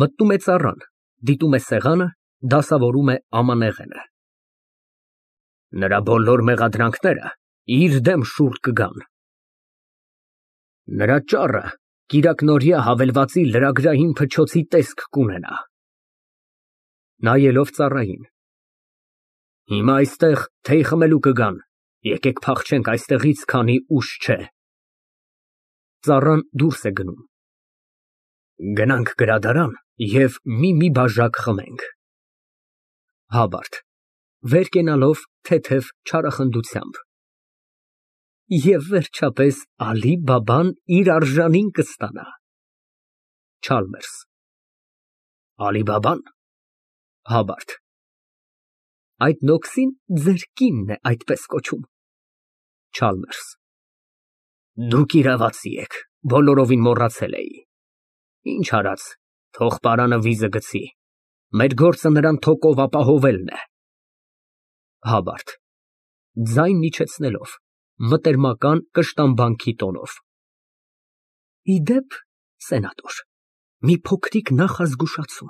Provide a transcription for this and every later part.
Մտնում է ծառան, դիտում է սեղանը, դասավորում է ամանեղենը։ Նրա բոլոր մեղադրանքները իր դեմ շուռ կգան։ Նրա ճառը կիրակնօրյա հավելվածի լրագրային փչոցի տեսք կունենա։ (Նայելով ծառային) Հիմա այստեղ թեյ խմելու կգան, եկեք փախչենք այստեղից, քանի ուշ չէ։ Ծառան դուրս է գնում։ Գնանք գրադարան և մի բաժակ խմենք։ (Հաբարտ, վեր կենալով թեթև չարախնդությամբ) Եվ վերջապես Ալի֊Բաբան իր արժանին կստանա։ Չալմերս։ Ալի֊Բաբա՞ն։ (Հաբարտ) Այդ նոքսին ձեր կինն է այդպես կոչում։ Չալմերս։ Դուք իրավացի եք, բոլորովին մոռացել էի։ Ինչ արած, թող պարանը վիզը գցի, մեր գործը նրան թոկով ապահովելն է։ (Հաբարտ, ձայն իջեցնելով, մտերմական կշտամբանքի տոնով) Ի դեպ, սենատոր, մի փոքրիկ նախազգուշացում.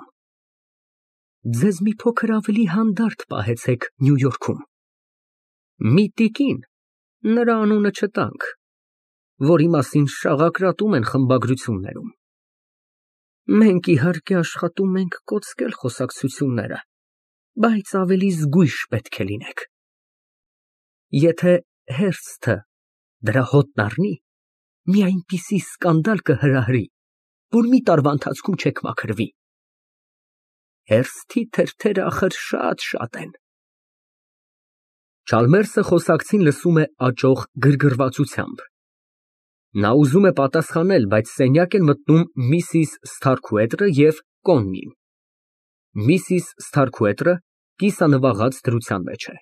ձեզ մի փոքր ավելի հանդարտ պահեցեք Նյու Յորքում։ Մի տիկին, նրա անունը չտանք, որի մասին շաղակրատում են խմբագրություններում։ Մենք իհարկե աշխատում ենք կոծկել խոսակցությունները, բայց ավելի զգույշ պետք է լինեք։ Եթե Հերսթը դրա հոտն առնի, մի այնպիսի սկանդալ կհրահրի, որ մի տարվա ընթացքում չեք մաքրվի։ Հերսթի թերթերը ախր շատ են։ Չալմերսը խոսակցին լսում է աճող գրգռվածությամբ։ Նա ուզում է պատասխանել, բայց սենյակ են մտնում միսիս Սթարքուետրը և Կոննին։ Միսիս Սթարքուետրը կիսանվաղած դրության մեջ է։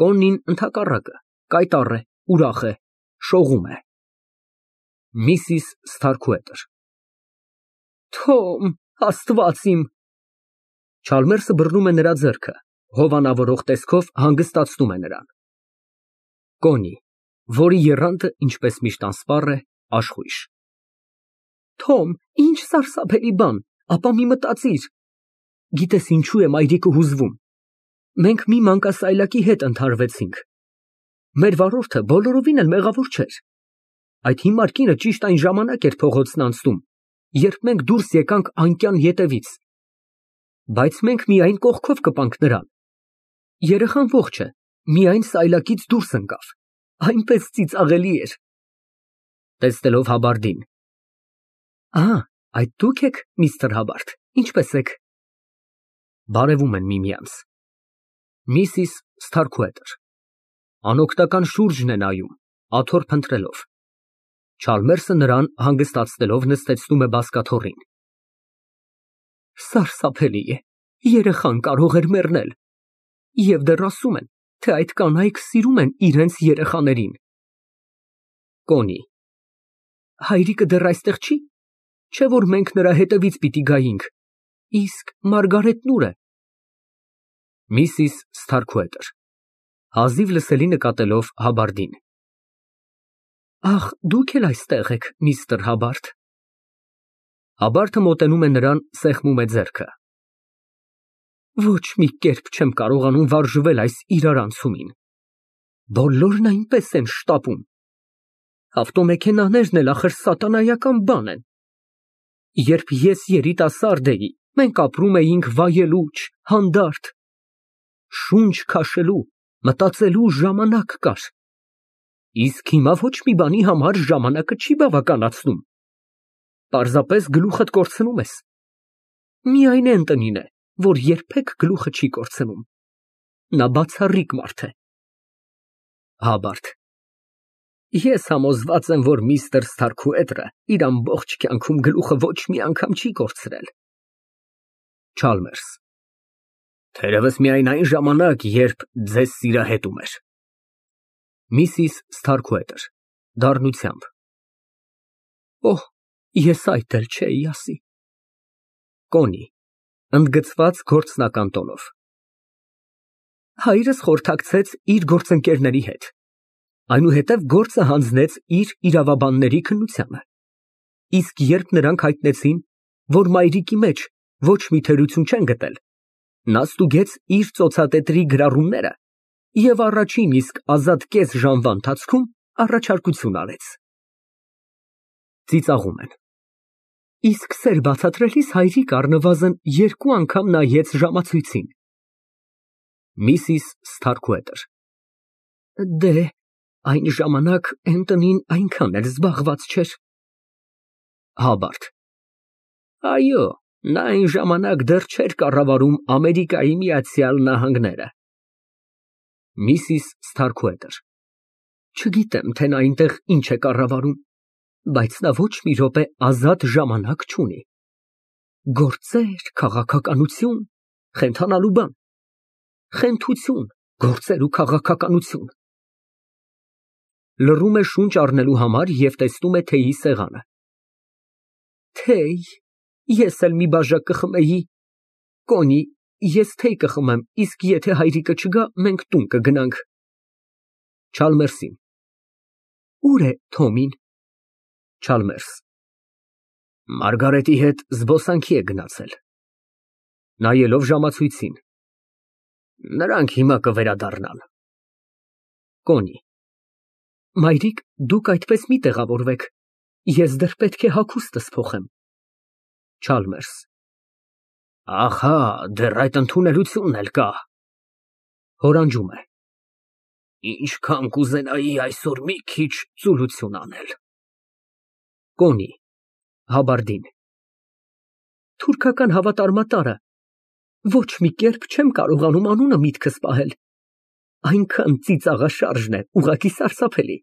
Կոննին, ընդհակառակը, կայտառ է, ուրախ է, շողում է։ Միսիս Սթարքուետր Թոմ, Աստված իմ։ Չալմերսը բռնում է նրա ձեռքը, հովանավորող տեսքով հանգստացնում է նրան։ Կոննի, որի եռանդը, ինչպես միշտ անսպառ է, աշխույժ։ Թոմ, ինչ սարսափելի բան, ապա մի մտածիր։ Գիտես ինչու է մայրիկը հուզվում։ Մենք մի մանկասայլակի հետ ընդհարվեցինք։ Մեր վարորդը բոլորովին էլ մեղավոր չէր։ Այդ հիմար կինը ճիշտ այն ժամանակ էր փողոցն անցնում, երբ մենք դուրս եկանք անկյան ետևից։ Բայց մենք միայն կողքով կպանք նրան։ Երեխան ողջ է, միայն սայլակից դուրս ընկավ, այնպես ծիծաղելի էր։ (Տեսնելով Հաբարդին) Այդ դուք եք, միստր Հաբարդ, ինչպե՞ս եք։ Բարևում են միմյանց։ Միսիս Սթարքուետր անօգնական շուրջն է նայում, աթոռ փնտրելով։ Չալմերսը նրան հանգստացնելով նստեցնում է բազկաթոռին։ Սարսափելի է, երեխան կարող էր մեռնել։ Եվ դեռ ասում են, թե այդ կանայք սիրում են իրենց երեխաներին։ Կոնի հայրիկը դեռ այստեղ չի, չէ՞ որ մենք նրա հետևից պիտի գայինք, իսկ Մարգարետն ուր է։ Միսիս Սթարքուետր հազիվ լսելի նկատելով Հաբարդին Ախ, դուք էլ այստեղ եք, միստր Հաբարդ։ Հաբարդը մոտենում է նրան, սեղմում է ձեռքը։ Ոչ մի կերպ չեմ կարողանում վարժվել այս իրարանցումին։ Բոլորն այնպես են շտապում։ Ավտոմեքենաներն էլ ախր սատանայական բան են։ Երբ ես երիտասարդ էի, մենք ապրում էինք վայելուչ, հանդարտ։ Շունչ քաշելու, մտածելու ժամանակ կար։ Իսկ հիմա ոչ մի բանի համար ժամանակը չի բավականացնում։ Պարզապես գլուխդ կորցնում ես։ Միայն Էնտոնին է, որ երբեք գլուխը չի կորցնում։ Նա բացառիկ մարդ է։ Հաբարդ Ես համոզված եմ, որ միստր Սթարքուետրը իր ամբողջ կյանքում գլուխը ոչ մի անգամ չի կորցրել։ Չալմերս Թերևս միայն այն ժամանակ, երբ ձեզ սիրահետում էր։ Միսիս Սթարքուետր (դառնությամբ) Օհ, ես այդ էլ չէի ասի։ Կոնի (ընդգծված գործնական տոնով) Հայրս խորհրդակցեց իր գործընկերների հետ, այնուհետև գործը հանձնեց իր իրավաբանների քննությանը, իսկ երբ նրանք հայտնեցին, որ մայրիկի մեջ ոչ մի թերություն չեն գտել, նա ստուգեց իր ծոցատետրի գրառումները և առաջին իսկ ազատ կես ժամվա ընթացքում առաջարկություն արեց։ Ծիծաղում են։ Իսկ սեր բացատրելիս հայրիկ առնվազն 2 անգամ նայեց ժամացույցին։ Միսիս Սթարքուետր. Դե, այն ժամանակ Էնտոնին այնքան էլ զբաղված չէր։ Հաբարդ. Այո, նա այն ժամանակ դեռ չէր կառավարում Ամերիկայի Միացյալ Նահանգները։ Միսիս Սթարքուետր. Չգիտեմ, թե նա այնտեղ ինչ է կառավարում, բայց նա ոչ մի րոպե ազատ ժամանակ չունի։ Գործեր, քաղաքականություն, խենթանալու բան։ Խենթություն, գործեր ու քաղաքականություն։ Լռում է շունչ առնելու համար և տեսնում է թեյի սեղանը։ Թեյ, ես էլ մի բաժակ կխմեի։ Կոնի, ես թեյ կխմեմ, իսկ եթե հայրիկը չգա, մենք տուն կգնանք։ Չալմերսին. Ուր է Թոմին։ Չալմերս. Մարգարետի հետ զբոսանքի է գնացել։ Նայելով ժամացույցին. Նրանք հիմա կվերադառնան։ Կոնի. Մայրիկ, դուք այդպես մի տեղավորվեք, ես դեռ պետք է հագուստս փոխեմ։ Չալմերս. Ահա, դեռ այդ ընդունելությունն էլ կա։ Հորանջում է։ Ինչքան կուզենայի այսօր մի քիչ ծուլություն անել։ Կոնի Հաբարդին. Թուրքական հավատարմատարը, ոչ մի կերպ չեմ կարողանում անունը միտքս պահել։ Այնքան ծիծաղաշարժն է, ուղղակի սարսափելի։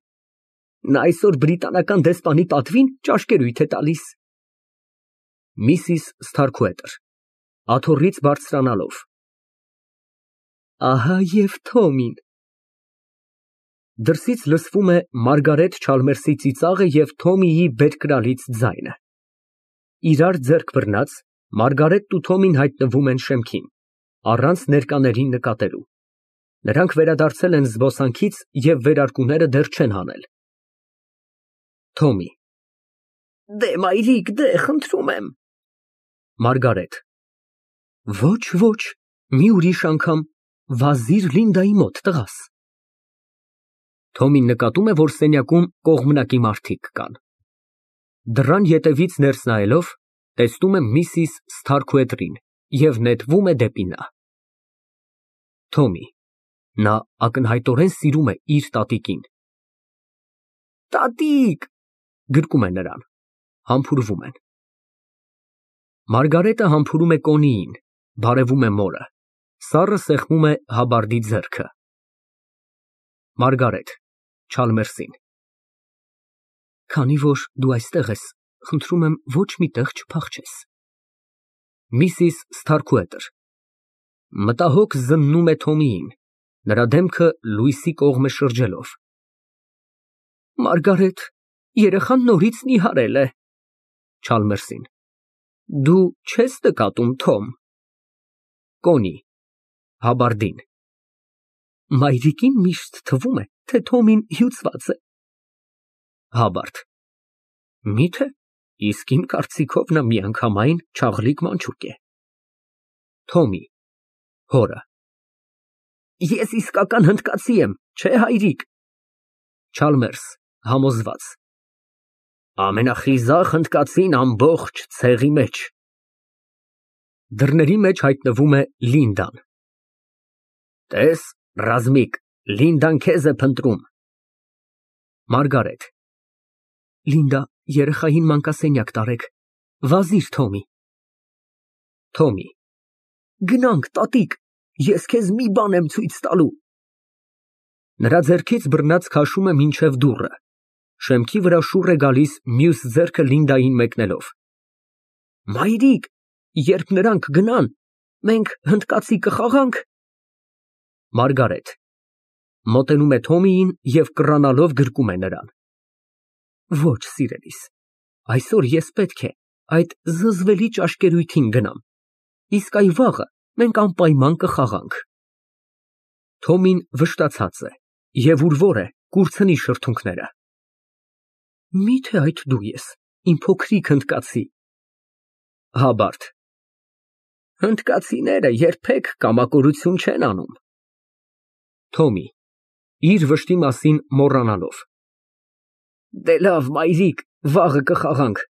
Նա այսօր բրիտանական դեսպանի պատվին ճաշկերույթ է տալիս։ Միսիս Սթարքուետր (աթոռից բարձրանալով) Ահա և Թոմին։ Դրսից լսվում է Մարգարետ Չալմերսի ծիծաղը և Թոմիի բերկրալից ձայնը։ Իրար ձեռք բռնած, Մարգարետն ու Թոմին հայտնվում են շեմքին, առանց ներկաներին նկատելու։ Նրանք վերադարձել են զբոսանքից և վերարկուները դեռ չեն հանել։ Թոմի. Դե, մայրիկ, դե, խնդրում եմ։ Մարգարետ. Ոչ, ոչ, մի ուրիշ անգամ, վազիր Լինդայի մոտ, տղաս։ Թոմին նկատում է, որ սենյակում կողմնակի մարդիկ կան։ Դռան ետևից ներս նայելով, տեսնում է Միսիս Սթարքուետրին և նետվում է դեպի նա։ Թոմի. Նա ակնհայտորեն սիրում է իր տատիկին։ Տատիկ, գրկում է նրան, համբուրվում են։ Մարգարետը համբուրում է Կոնիին, բարևում է մորը, սառը սեղմում է Հաբարդի ձեռքը։ Մարգարետ Չալմերսին. Քանի որ դու այստեղ ես, խնդրում եմ ոչ մի տեղ չփախչես։ Միսիս Սթարքուետր մտահոգ զննում է Թոմիին, նրա դեմքը լույսի կողմ է շրջելով։ Մարգարետ, երեխան նորից նիհարել է։ Չալմերսին. Դու չես նկատում, Թոմ։ Կոնի Հաբարդին. Մայրիկին միշտ թվում է, թե Թոմին հյուծված է։ Հաբարդ. Միթե, իսկ իմ կարծիքով նա միանգամայն չաղլիկ մանչուկ է։ Թոմի հորը. Ես իսկական հնդկացի եմ, չէ հայրիկ։ Չալմերս համոզված. Ամենախիզախ հնդկացին ամբողջ ցեղի մեջ։ Դռների մեջ հայտնվում է Լինդան։ Տես, ռազմիկ, Լինդան քեզ է փնտրում։ Մարգարետ. Լինդա, երեխային մանկասենյակ տարեք, վազիր Թոմի։ Թոմի. Գնանք, տատիկ, ես քեզ մի բան եմ ցույց տալու։ Նրա ձեռքից բռնած քաշում է մինչև դուռը, շեմքի վրա շուռ է գալիս մյուս ձեռքը Լինդային մեկնելով։ Մայրիկ, երբ նրանք գնան, մենք հնդկացի կխաղանք։ Մարգարետ մոտենում է Թոմիին և կռանալով գրկում է նրան։ Ոչ, սիրելիս, այսօր ես պետք է այդ զզվելի ճաշկերույթին գնամ, իսկ այ վաղը մենք անպայման կխաղանք։ Թոմին վշտացած է և ուրվոր է, կուրցնի շրթունքները։ Միթե այդ դու ես, իմ փոքրիկ հնդկացի։ Հաբարդ Հնդկացիները երբեք կամակորություն չեն անում։ Թոմի իր վշտի մասին մոռանալով։ Դե լավ, մայրիկ, վաղը կխաղանք,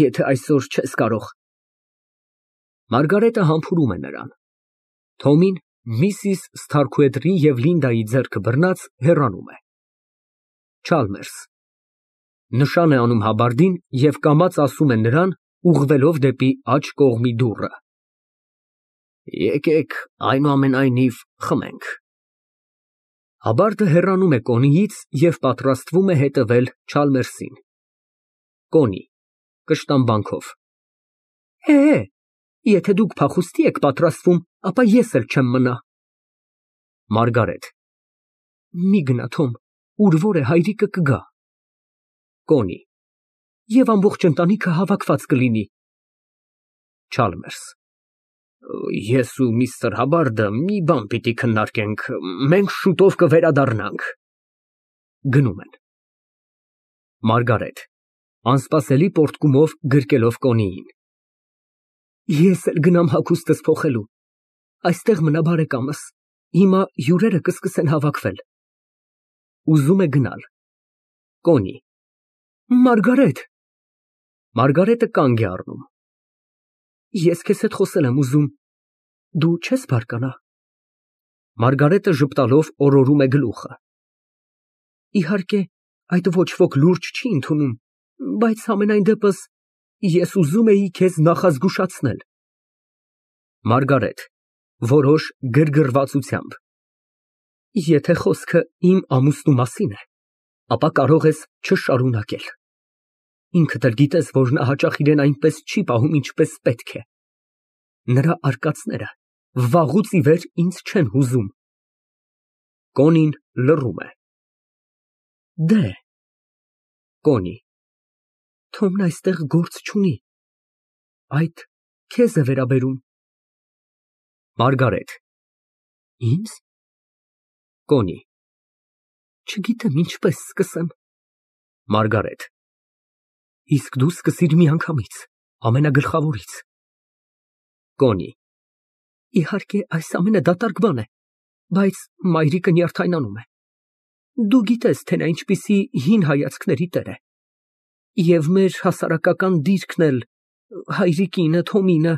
եթե այսօր չես կարող։ Մարգարետը համբուրում է նրան։ Թոմին Միսիս Սթարքուեդրի և Լինդայի ձեռքը բռնած հեռանում է։ Չալմերս նշան է անում հաբարդին և կամաց ասում է նրան, ուղղվելով դեպի աջ կողմի դուռը. Եկեք այնուամենայնիվ խմենք։ Հաբարդը հեռանում է Կոնիից և պատրաստվում է հետևել Չալմերսին։ Կոնի կշտամբանքով։ Եթե դուք փախուստի եք պատրաստվում, ապա ես էլ չեմ մնա։ Մարգարետ մի գնա, Թոմ, ուր որ է հայրիկը կգա։ Կոնի և ամբողջ ընտանիքը հավաքված կլինի։ Չալմերս ես ու միստր Հաբարդը մի բան պիտի քննարկենք, մենք շուտով կվերադառնանք։ Գնում են։ Մարգարետ անսպասելի պոռթկումով գրկելով Կոնիին։ Ես էլ գնամ հագուստս փոխելու, այստեղ մնա բարեկամս, հիմա հյուրերը կսկսեն հավաքվել։ Ուզում է գնալ։ Կոնի Մարգարետ։ Մարգարետը կանգ է առնում։ Ես քեզ հետ խոսել եմ ուզում, դու չես բարկանա։ Մարգարետը ժպտալով օրորում է գլուխը։ Իհարկե, այդ ոչ ոք լուրջ չի ընդունում, բայց համենայն դեպս ես ուզում էի քեզ նախազգուշացնել։ Մարգարետ որոշ գրգռվածությամբ։ Եթե խոսքը իմ ամուսնու մասին է, ապա կարող ես չշարունակել։ Ինքդ էլ գիտես, որ նա հաճախ իրեն այնպես չի պահում, ինչպես պետք է։ Նրա արկածները վաղուց ի վեր ինձ չեն հուզում։ Կոնին լռում է։ Դե Կոնի Թոմն այստեղ գործ չունի, այդ քեզ է վերաբերում։ Մարգարետ Ինձ։ Կոնի չգիտեմ ինչպես սկսեմ։ Մարգարետ Իսկ դու սկսիր միանգամից, ամենագլխավորից։ Կոնի Իհարկե, այս ամենը դատարկ բան է, բայց մայրիկը նյարդայնանում է։ Դու գիտես, թե նա ինչպիսի հին հայացքների տեր է։ Եվ մեր հասարակական դիրքն էլ, հայրիկինը, Թոմինը,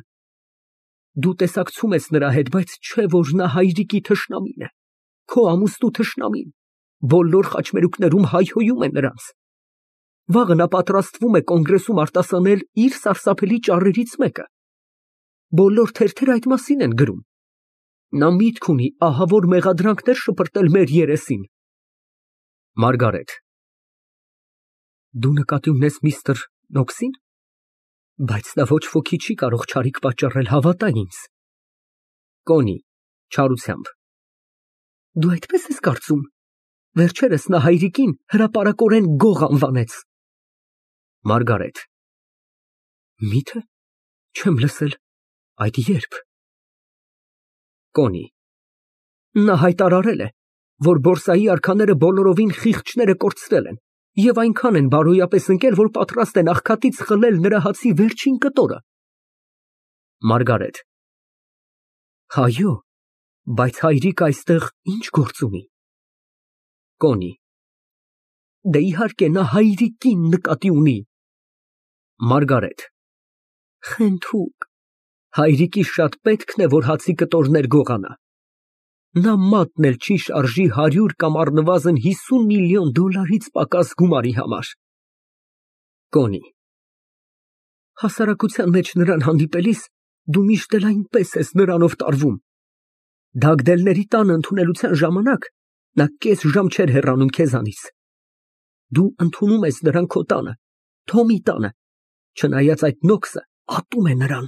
դու տեսակցում ես նրա հետ, բայց չէ որ նա հայրիկի թշնամին է, քո ամուսնու թշնամին, բոլոր խաչմերուկներում հայհոյում է նրանց։ Վաղը նա պատրաստվում է կոնգրեսում արտասանել իր սարսափելի ճառերից մեկը։ Բոլոր թերթերը այդ մասին են գրում։ Նա միտք ունի ահավոր մեղադրանքներ շպրտել մեր երեսին։ Մարգարետ Դու նկատի ունես միստր Նոքսին, բայց նա ոչ ոքի չի կարող չարիք պատճառել, հավատա ինձ։ Կոնի չարությամբ Դու այդպես ես կարծում։ Վերջերս նա հայրիկին հրապարակորեն գող անվանեց։ Մարգարետ Միթե չեմ լսել, այդ երբ։ Կոնի Նա հայտարարել է, որ բորսայի արքաները բոլորովին խիղճները կորցրել են և այնքան են բարոյապես ընկել, որ պատրաստ են աղքատից խլել նրա հացի վերջին կտորը։ Մարգարետ Հայո, բայց հայրիկը այստեղ ինչ գործ ունի։ Կոնի Դե իհարկե նա հայրիկին նկատի ունի։ Մարգարետ Խենթուկ, հայրիկի շատ պետքն է, որ հացի կտորներ գողանա։ Նա մատն էլ չի շարժի 100 կամ առնվազն 50 միլիոն դոլարից պակաս գումարի համար։ Կոնի Հասարակության մեջ նրան հանդիպելիս դու միշտ էլ այնպես ես նրանով տարվում։ Դագդելների տանը ընդունելության ժամանակ նա կես ժամ չէր հեռանում քեզանից։ Դու ընդունում ես նրան քո տանը, Թոմի տանը, չնայած այդ Նոքսը ատում է նրան։